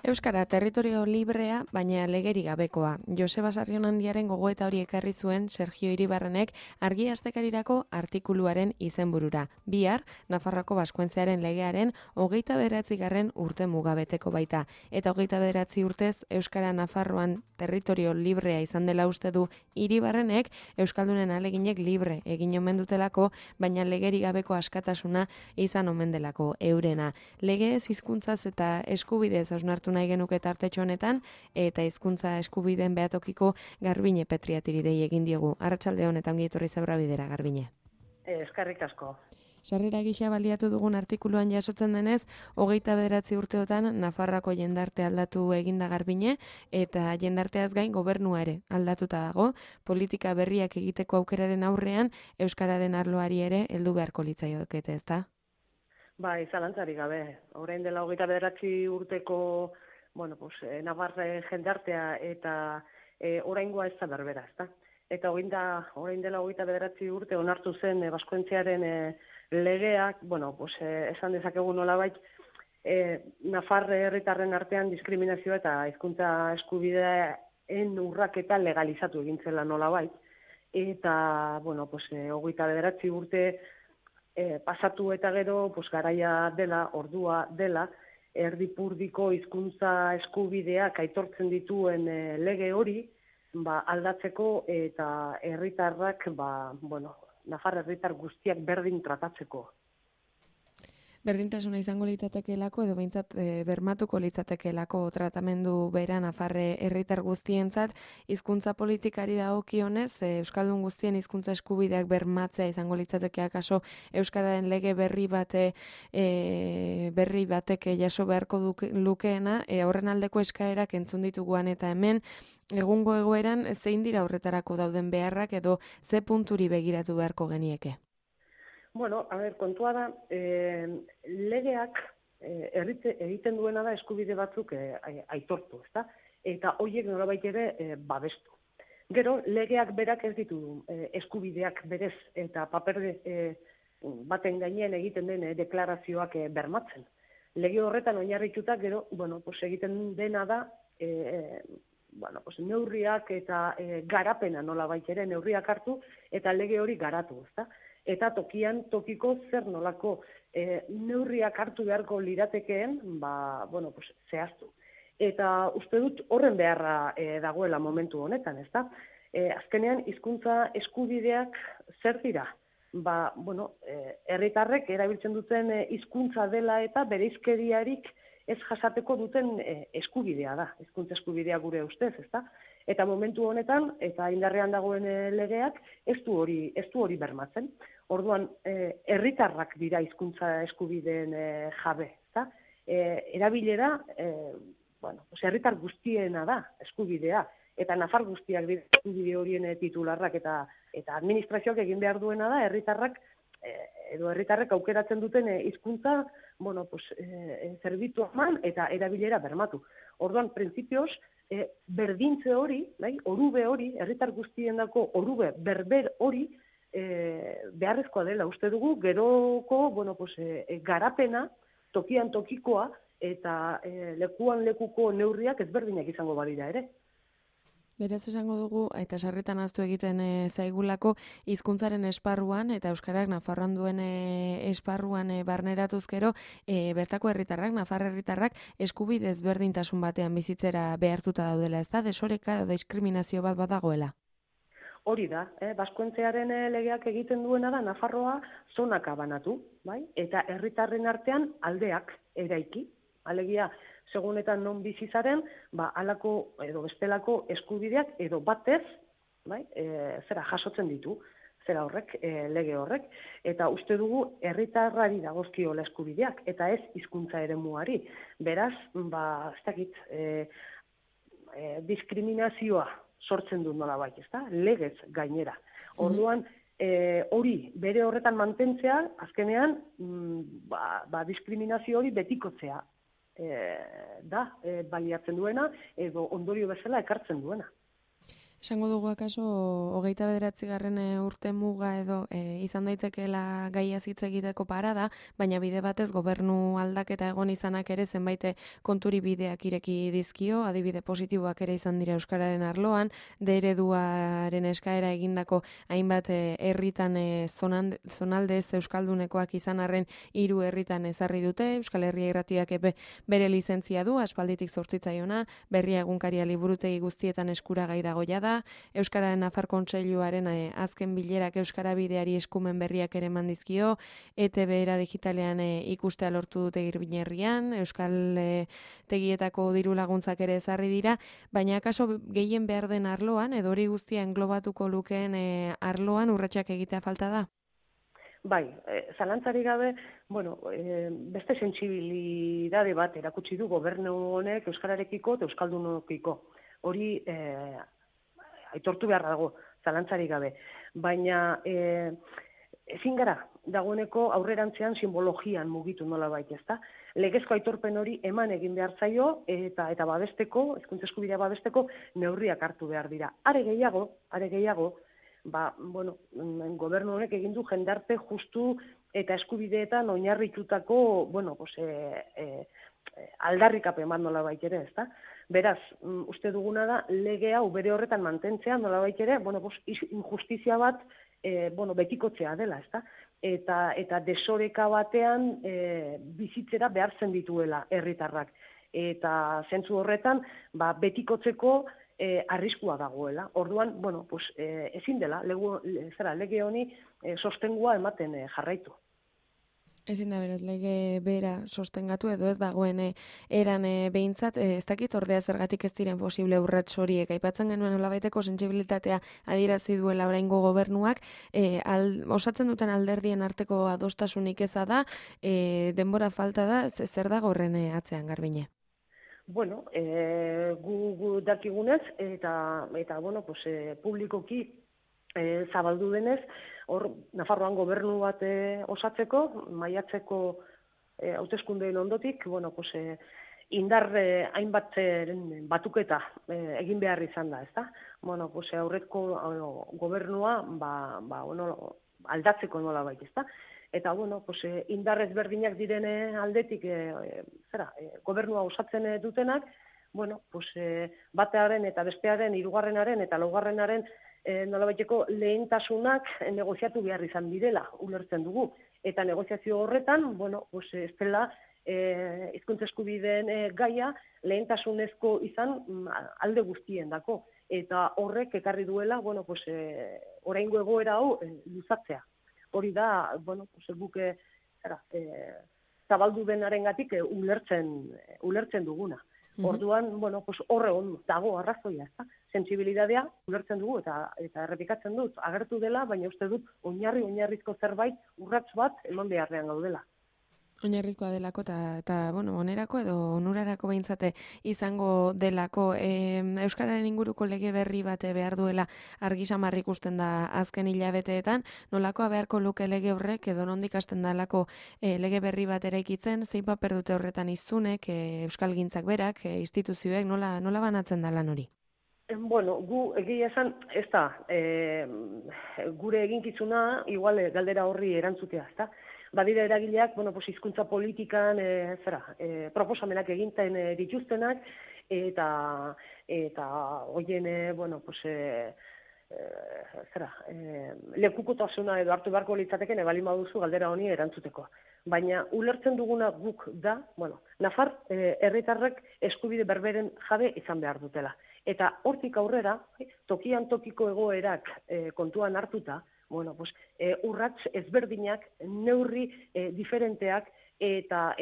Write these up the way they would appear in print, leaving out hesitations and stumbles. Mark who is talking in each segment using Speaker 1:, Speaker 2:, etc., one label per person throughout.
Speaker 1: Euskara territorio librea, baina legeri gabekoa. Joseba Sarrionandiaren gogoeta hori ekarri zuen Sergio Iribarrenek argi astekarirako artikuluaren izenburura. Bihar, Nafarroako Baskoentziaren legearen 29. urte mugabeteko baita. Eta 29 urtez Euskara Nafarroan territorio librea izan dela uste du Iribarrenek, Euskaldunen aleginek libre egin omen dutelako, baina legeri gabeko askatasuna izan omen delako eurena. Legez, hizkuntzaz eta eskubidez hausnartu nahi genuke tartetxo honetan, eta hizkuntza eskubideen behatokiko Garbine Petriatiri dei egin diogu. Arratsalde honetan ongi etorri Zebra Bidera, Garbine.
Speaker 2: Eskerrik asko.
Speaker 1: Sarrera gisa baliatu dugun artikuluan jasotzen denez, 29 urteotan Nafarroako jendarte aldatu eginda Garbine, eta jendarteaz gain gobernua ere aldatuta dago, politika berriak egiteko aukeraren aurrean, euskararen arloari ere heldu beharko litzaioke, ezta?
Speaker 2: Bai, zalantzarik gabe. Orain dela 29 urteko, Navarre jendartea eta oraingoa ez da berbera, ezta? Eta orain dela 29 urte onartu zen Baskoentziaren legeak, esan dezakegu nolabait, Nafarre herritarren artean diskriminazioa eta hizkuntza eskubideen urraketa legalizatu egin zela nolabait. Eta, 29 urte pasatu eta gero, garaia dela, ordua dela, erdipurdiko hizkuntza eskubideak aitortzen dituen lege hori, aldatzeko eta herritarrak, Nafar herritar guztiak berdin tratatzeko.
Speaker 1: Berdintasuna izango litzatekeelako edo behintzat bermatuko litzatekeelako tratamendu bera Nafarre herritar guztientzat, hizkuntza politikari dagokionez, euskaldun guztien hizkuntza eskubideak bermatzea izango litzateke akaso euskararen lege berri batek jaso beharko lukeena, horren aldeko eskaerak entzun dituguan eta hemen egungo egoeran zein dira horretarako dauden beharrak edo ze punturi begiratu beharko genieke?
Speaker 2: Kontua da, legeak egiten duena da eskubide batzuk aitortu, ezta? Eta horiek nolabait ere babestu. Gero, legeak berak ez ditu eskubideak berez eta paper baten gainean egiten den deklarazioak bermatzen. Lege horretan oinarrituta gero, egiten dena da neurriak eta garapena nolabait ere neurriak hartu eta lege hori garatu, ezta? Eta tokiko zer nolako neurriak hartu beharko liratekeen, zehaztu. Eta uste dut horren beharra dagoela momentu honetan, ezta? Azkenean, hizkuntza eskubideak zer dira? Herritarrek erabiltzen duten hizkuntza dela eta bereizkeriarik ez jasateko duten eskubidea da, hizkuntza eskubidea gure ustez, ezta? Eta momentu honetan, eta indarrean dagoen legeak, ez du hori bermatzen. Orduan, herritarrak dira hizkuntza eskubideen jabe, ezta? Erabilera, herritar guztiena da eskubidea, eta nafar guztiak dira eskubide horien titularrak eta administrazioak egin behar duena da herritarrak edo herritarrek aukeratzen duten hizkuntza, zerbitzu eman eta erabilera bermatu. Orduan, printzipioz, berdintze hori, orube hori, herritar guztiendako orube berber hori, beharrezkoa dela, uste dugu, geroko garapena, tokian tokikoa, eta lekuan lekuko neurriak ezberdinak izango badira ere.
Speaker 1: Beraz esango dugu, eta sarritan ahaztu egiten zaigulako, hizkuntzaren esparruan, eta euskarak Nafarroan duen esparruan barneratuz gero, bertako herritarrak, Nafar herritarrak, eskubide ezberdintasun batean bizitzera behartuta daudela, ez da, desoreka edo diskriminazio bat badagoela?
Speaker 2: Hori da, Baskoentziaren legeak egiten duena da Nafarroa zonaka banatu, bai? Eta herritarren artean aldeak eraiki. Alegia, segunetan non bizi zaren, halako edo bestelako eskubideak edo batez, jasotzen ditu, lege horrek, eta uste dugu herritarrari dagozkiola eskubideak, eta ez hizkuntza eremuari. Beraz, ez dakit, diskriminazioa sortzen du nolabait, ezta? Legez gainera. Orduan, hori bere horretan mantentzea, azkenean, diskriminazio hori betikotzea baliatzen duena, edo ondorio bezala ekartzen duena.
Speaker 1: Esango dugu akaso, 29. urte muga edo izan daitekeela gaia hitz egiteko parada, baina bide batez gobernu aldaketa egon izanak ere zenbait konturi bideak ireki dizkio, adibide positiboak ere izan dira euskararen arloan, ereduaren eskaera egindako hainbat herritan zonaldez euskaldunekoak izan arren 3 herritan ezarri dute, Euskal Herria Irratiak bere lizentzia du, aspalditik zortzitzaiona, Berria egunkaria liburutegi guztietan eskuragai dago jada, Euskararen Nafar Kontseiluaren azken bilerak Euskara bideari eskumen berriak ere eman dizkio, ETB era digitalean ikustea lortu dute Irbinerrian, Euskal tegietako diru laguntzak ere ezarri dira, baina akaso gehien behar den arloan, edo hori guztia englobatuko lukeen arloan urratsak egitea falta da?
Speaker 2: Bai, zalantzarik gabe, beste sentsibilidade bat erakutsi du gobernu honek euskararekiko eta euskaldunokiko. Hori aitortu behar dago, zalantzarik gabe. Baina ezin gara dagoeneko aurrerantzean simbologian mugitu nolabait, ezta? Legezko aitorpen hori eman egin behar zaio eta babesteko, hizkuntza eskubidea babesteko neurriak hartu behar dira. Are gehiago, gobernu honek egin du jendarte justu eta eskubideetan oinarritutako, aldarrikapen bat nolabait ere, ezta? Beraz, uste duguna da lege hau bere horretan mantentzea nolabait ere, injustizia bat betikotzea dela, ezta? Eta desoreka batean bizitzera behartzen dituela herritarrak. Eta zentzu horretan, betikotzeko arriskua dagoela. Orduan, ezin dela, lege honi sostengua ematen jarraitu.
Speaker 1: Ezin da beraz, lege bera sostengatu edo ez dagoen eran behintzat, ez dakit ordea zergatik ez diren posible urrats horiek. Aipatzen genuen nolabaiteko sentsibilitatea adierazi duela oraingo gobernuak, osatzen duten alderdien arteko adostasunik eza da, denbora falta da, zer dago horren atzean, Garbine?
Speaker 2: Gu dakigunez eta publikoki zabaldu denez, hor Nafarroan gobernu bat osatzeko, maiatzeko hauteskundeen ondotik, indar hainbat batuketa egin behar izan da, ezta? Aurreko gobernua aldatzeko nolabait, ezta? Eta, indar ezberdinak direne aldetik, gobernua osatzen dutenak, batearen eta bestearen, hirugarrenaren eta laugarrenaren nolabaiteko lehentasunak negoziatu behar izan direla, ulertzen dugu. Eta negoziazio horretan, ez dela hizkuntza eskubideen gaia lehentasunezko izan alde guztien dako. Eta horrek ekarri duela, oraingo egoera hau luzatzea. Hori da, guk zabaldu denarengatik ulertzen duguna. Orduan, horre dago arrazoia, ezta? Sentsibilitatea ulertzen dugu eta errepikatzen dut, agertu dela, baina uste dut oinarrizko zerbait urrats bat eman beharrean gaudela.
Speaker 1: Oinarrizkoa delako eta onerako edo onurarako behintzate izango delako. Euskararen inguruko lege berri bat behar duela argi samar ikusten da azken hilabeteetan, nolakoa beharko luke lege horrek edo nondik hasten dalako lege berri bat eraikitzen, zein paper dute horretan hiztunek, euskalgintzak berak, instituzioek, nola banatzen da lan hori?
Speaker 2: Gu egia esan, ez da, gure eginkizuna, igual galdera horri erantzutea, ez da? Badira eragileak, hizkuntza politikan, proposamenak eginten dituztenak, eta hoien, lekukotasuna edo hartu beharko litzateken ebalin baduzu galdera honi erantzuteko. Baina ulertzen duguna guk da, Nafar herritarrek eskubide berberen jabe izan behar dutela. Eta hortik aurrera, tokian tokiko egoerak kontuan hartuta, urrats ezberdinak, neurri diferenteak eta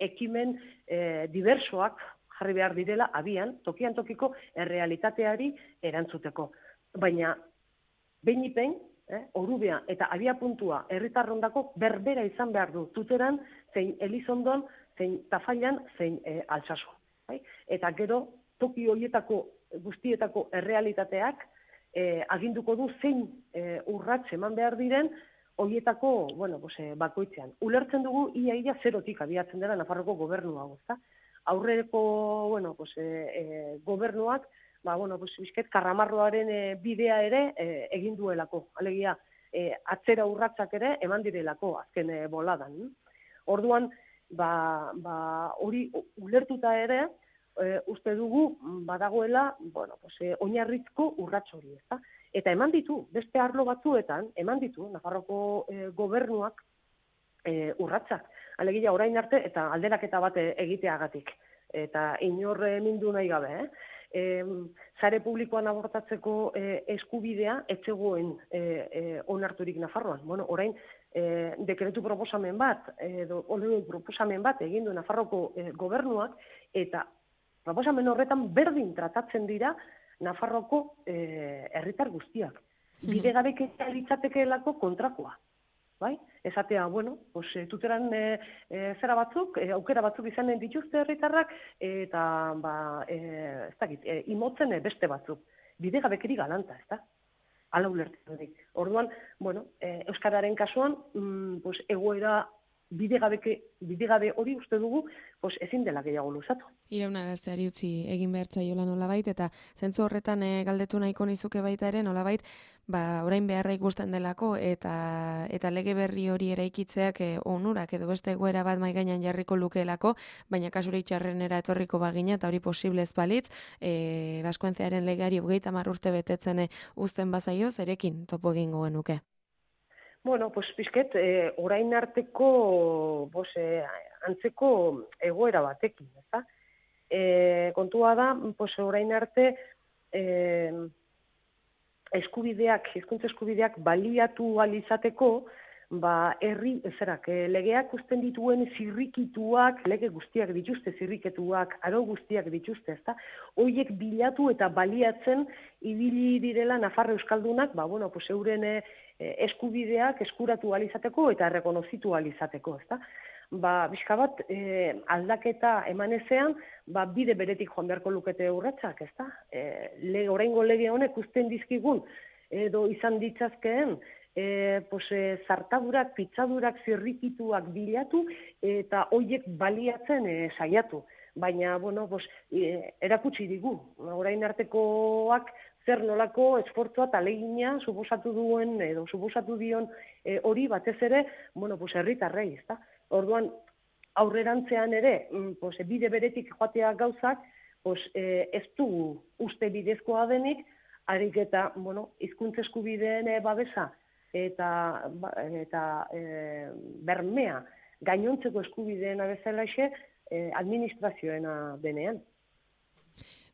Speaker 2: ekimen diversoak jarri behar direla abian, tokian tokiko errealitateari erantzuteko. Baina, behin, orubea eta abia puntua herritarrondako berbera izan behar du tuteran, zein Elizondon, zein Tafallan, zein Altsasu. Eta gero, toki horietako guztietako errealitateak aginduko du zein urrats eman behar diren horietako bakoitzean. Ulertzen dugu ia zerotik abiatzen dela Nafarroko gobernu hau, ezta? Aurreko gobernuak bizket karramarroaren bidea ere egin duelako. Alegia, atzera urratsak ere eman direlako azken boladan. Orduan, hori ulertuta ere, uste dugu badagoela, oinarrizko urrats hori, ezta? Eta eman ditu, beste arlo batzuetan, eman ditu, Nafarroko gobernuak urratsak. Alegia, orain arte, eta alderaketa bat egiteagatik. Eta inor mindu nahi gabe, sare publikoan abortatzeko eskubidea etzegoen onarturik Nafarroan. Orain, dekretu proposamen bat, edo proposamen bat egin du Nafarroko gobernuak, eta proposamen horretan berdin tratatzen dira Nafarroko herritar guztiak. Bidegabekeria litzatekeelako kontrakoa. Bai? Esatea, tuteran zera batzuk, aukera batzuk izanen dituzte herritarrak, eta, ez dakit, imotzen beste batzuk. Bidegabekeri galanta, ez da? Hala ulertzen dut. Orduan, Euskararen kasuan, egoera bidegabe hori uste dugu, ezin dela gehiago luzatu.
Speaker 1: Iraunarazteari utzi egin behar zaiola nolabait, eta zentzu horretan galdetu nahiko nizuke baita ere, nolabait, orain beharra ikusten delako, eta lege berri hori eraikitzeak onurak edo beste egoera bat mai gainean jarriko lukeelako, baina kasuri txarrenera etorriko bagina, eta hori posible ez balitz, Baskoentzearen legeari 30 urte betetzen uzten bazaio, zerekin topo egingo genuke.
Speaker 2: Pizket, orain arteko antzeko egoera batekin, ezta? Kontua da, orain arte hizkuntza eskubideak baliatu ahal izateko, legeak uzten dituen zirrikituak, lege guztiak dituzte zirriketuak, aro guztiak dituzte, ezta? Horiek bilatu eta baliatzen ibili direla Nafarro euskaldunak, euren eskubideak eskuratu ahal izateko eta errekonozitu ahal izateko, ezta? Bizka bat aldaketa eman ezean, bide beretik joan beharko lukete urratsak, ezta? Oraingo lege honek uzten dizkigun edo izan ditzazkeen zartadurak, pitzadurak, zirrikituak bilatu eta horiek baliatzen saiatu. Baina, erakutsi digu. Orain artekoak zer nolako esfortzua eta ahalegina suposatu duen edo suposatu dion hori batez ere, herritarrei, ezta? Orduan, aurrerantzean ere, bide beretik joatea gauzak, ez du uste bidezkoa denik, harik eta, hizkuntza eskubideen babesa eta bermea gainontzeko eskubideen bezalaxe administrazioena denean.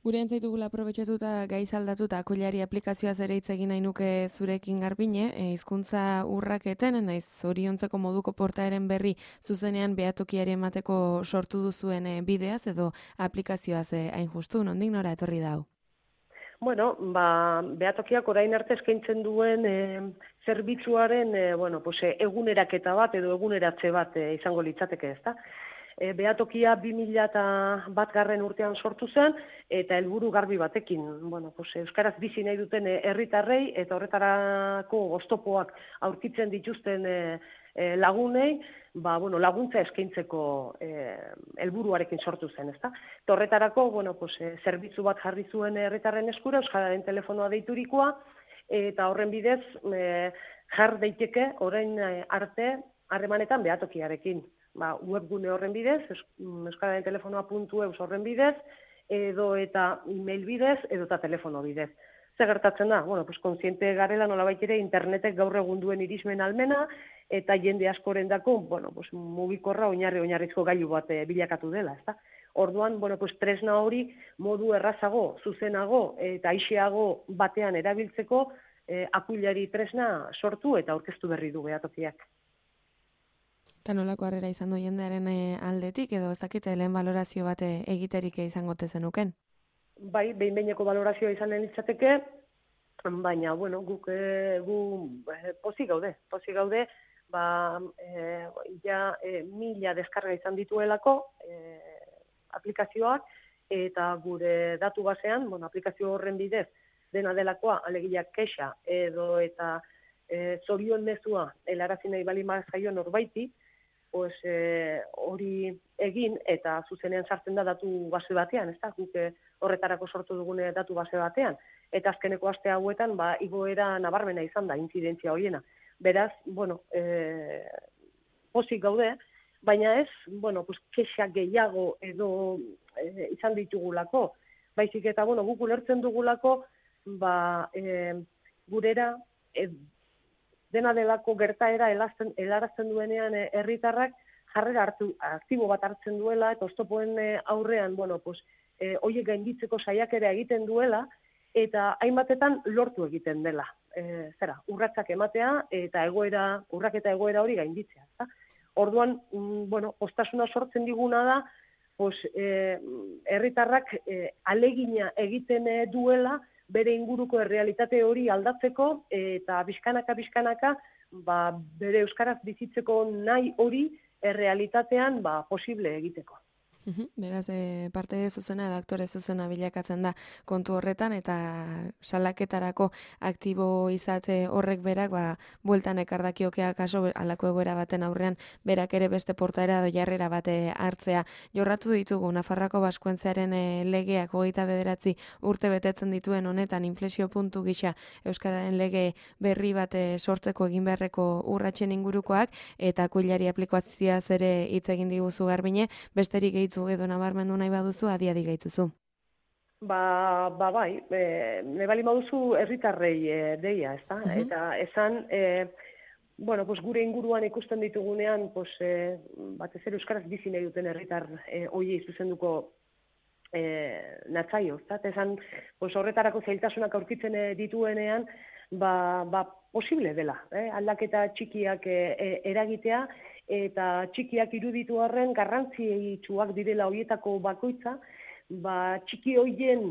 Speaker 1: Gure entzaitugula aprobetxatuta gaiz aldatuta akuilari aplikazioaz ere hitz egin nahi nuke zurekin Garbine, hizkuntza urraketen, naiz zoriontzeko moduko portaeren berri zuzenean behatokiari emateko sortu duzuen bideaz edo aplikazioaz hain justu, nondik nora etorri dau?
Speaker 2: Behatokiak orain arte eskaintzen duen zerbitzuaren eguneraketa bat edo eguneratze bat izango litzateke, ezta? Behatokia 2001 urtean sortu zen, eta helburu garbi batekin. Euskaraz bizi nahi duten herritarrei eta horretarako oztopoak aurkitzen dituzten lagunei, laguntza eskaintzeko helburuarekin sortu zen, ezta? Eta horretarako, zerbitzu bat jarri zuen herritarren eskura, Euskararen telefonoa deiturikoa, eta horren bidez jar daiteke orain arte harremanetan behatokiarekin. Webgune horren bidez, Euskararen telefonoa.eus horren bidez, edo eta email bidez, edo eta telefono bidez. Zer gertatzen da? Kontziente garela nolabait ere internetek gaur egun duen irismen almena, eta jende askorendako, mugikorra oinarrizko gailu bat bilakatu dela, ezta? Orduan, tresna hori modu errazago, zuzenago eta aixeago batean erabiltzeko akuilari tresna sortu eta aurkeztu berri du behatokiak.
Speaker 1: Eta nolako harrera izan du jendearen aldetik, edo ez dakite lehen balorazio bat egiterik izango tezenuken?
Speaker 2: Bai, behin-behineko balorazioa izan litzateke, baina, guk pozik gaude, ja 1000 deskarga izan dituelako aplikazioak, eta gure datu basean, aplikazio horren bidez, dena delakoa, alegia kexa, edo eta zorion mezua helarazi nahi bali zaio norbaiti, hori egin eta zuzenean sartzen da datu base batean, ez da, guk horretarako sortu dugune datu base batean, eta azkeneko aste hauetan, igoera nabarmena izan da, intzidentzia horiena. Beraz, pozik gaude, baina ez, kexa gehiago edo izan ditugulako, baizik eta, guk ulertzen dugulako, gurera, dena delako gertaera helarazten duenean herritarrak jarrera aktibo bat hartzen duela, eta oztopoen aurrean, horiek gainditzeko saiakera egiten duela, eta hainbatetan lortu egiten dela. Urratsak ematea eta urraketa egoera hori gainditzea. Orduan, poztasuna sortzen diguna da, herritarrak alegina egiten duela, bere inguruko errealitate hori aldatzeko eta bizkanaka bere euskaraz bizitzeko nahi hori errealitatean posible egiteko.
Speaker 1: Beraz, parte zuzena edo aktore zuzena bilakatzen da kontu horretan eta salaketarako aktibo izate horrek berak bueltan ekardakiokeak kaso alako egoera baten aurrean berak ere beste portaera edo jarrera bate hartzea. Jorratu ditugu Nafarroako Baskuentzearen legeak 29 urte betetzen dituen honetan inflexio puntu gisa euskararen lege berri bat sortzeko egin beharreko urratsen ingurukoak eta kuilari aplikazioaz ere hitz egin diguzu Garbine, besterik gehitu edo nabarmendu nahi baduzu, adi gaituzu.
Speaker 2: Bai, ne bali baduzu herritarrei deia, ezta? Eta esan, gure inguruan ikusten ditugunean, batez ere euskaraz bizi nahi duten herritar hoiei zuzenduko natzaio, ezta? Esan, horretarako zailtasunak aurkitzen dituenean, posible dela, aldaketa txikiak eragitea, eta txikiak iruditu arren garrantzitsuak direla horietako bakoitza, txiki horien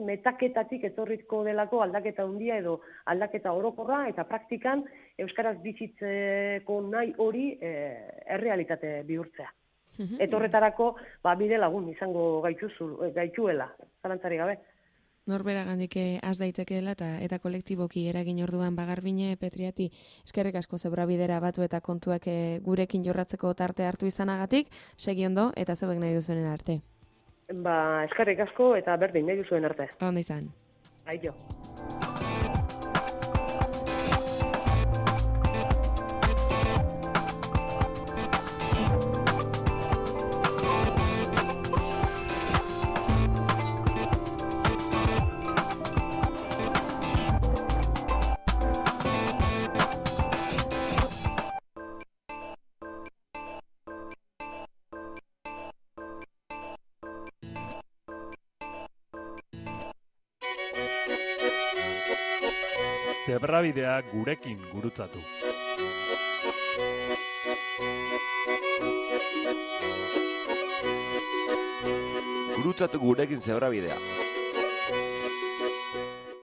Speaker 2: metaketatik etorriko delako aldaketa handia edo aldaketa orokorra eta praktikan euskaraz bizitzeko nahi hori errealitate bihurtzea. Eta horretarako bide lagun izango gaituela, zalantzari gabe.
Speaker 1: Norbera gandik az daitekeela eta kolektiboki eragin orduan Garbine Petriati eskerrik asko zebrabidera batu eta kontuak gurekin jorratzeko tarte hartu izanagatik, segi ondo eta zeuek nahi duzuen arte.
Speaker 2: Eskerrik asko eta berdin nahi duzuen arte.
Speaker 1: Ondo izan.
Speaker 2: Aio.
Speaker 3: Zebrabidea gurekin gurutzatu.
Speaker 4: Gurutzatu gurekin zebrabidea.